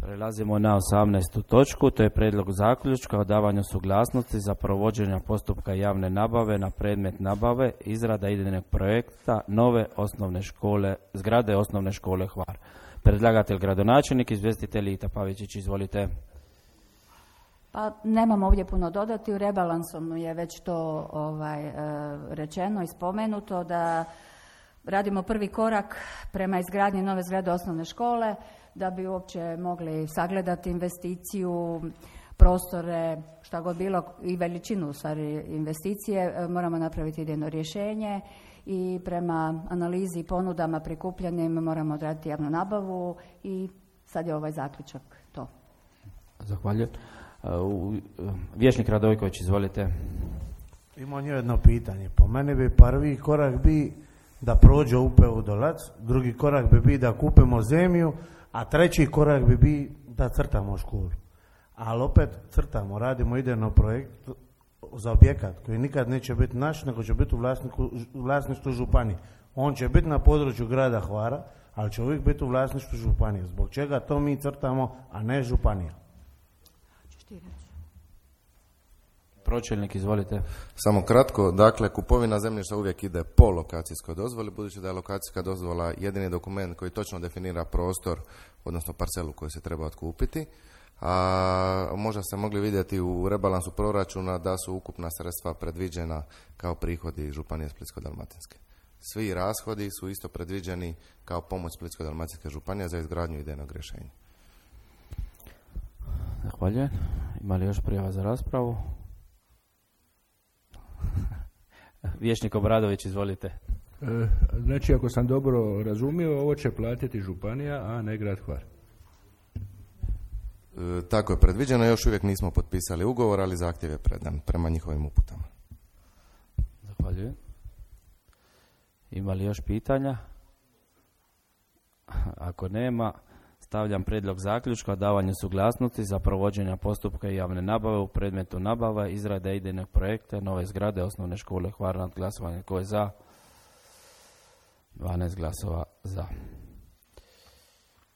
Prelazimo na 18. točku, to je prijedlog zaključka o davanju suglasnosti za provođenje postupka javne nabave na predmet nabave, izrada idejnog projekta nove osnovne škole, zgrade osnovne škole Hvar. Predlagatelj gradonačelnik, izvjestitelj Ita Pavičić, izvolite. Pa nemam ovdje puno dodati, u rebalansom je već to rečeno i spomenuto da radimo prvi korak prema izgradnji nove zgrade osnovne škole, da bi uopće mogli sagledati investiciju, prostore, šta god bilo i veličinu u stvari investicije, moramo napraviti idejno rješenje i prema analizi i ponudama prikupljenim moramo odraditi javnu nabavu i sad je ovaj zaključak to. Zahvaljujem. Vijećnik Radojković, izvolite. Imam jedno pitanje. Po meni bi prvi korak bi da prođe UPU Dolac, drugi korak bi da kupimo zemlju, a treći korak bi da crtamo školu. Ali opet crtamo, radimo idejno projekt za objekat koji nikad neće biti naš, nego će biti u vlasništvu županije. On će biti na području grada Hvara, ali će uvijek biti u vlasništvu županije. Zbog čega to mi crtamo, a ne županija? Pročelnik, izvolite. Samo kratko, dakle, kupovina zemljišta uvijek ide po lokacijskoj dozvoli, budući da je lokacijska dozvola jedini dokument koji točno definira prostor, odnosno parcelu koju se treba otkupiti. A možda ste mogli vidjeti u rebalansu proračuna da su ukupna sredstva predviđena kao prihodi Županije Splitsko-dalmatinske. Svi rashodi su isto predviđeni kao pomoć Splitsko-dalmatinske županije za izgradnju idejnog rješenja. Zahvaljujem. Ima li još prijava za raspravu? Vijećnik Obradović, izvolite. Znači, ako sam dobro razumio, ovo će platiti županija, a ne grad Hvar. Tako je predviđeno, još uvijek nismo potpisali ugovor, ali zahtjev je predan prema njihovim uputama. Zahvaljujem. Ima li još pitanja? Ako nema, stavljam prijedlog zaključka o davanju suglasnosti za provođenje postupka javne nabave u predmetu nabava, izrade idejnog projekta nove zgrade osnovne škole Hvar. Nad glasovanje. Tko je za? 12 glasova za.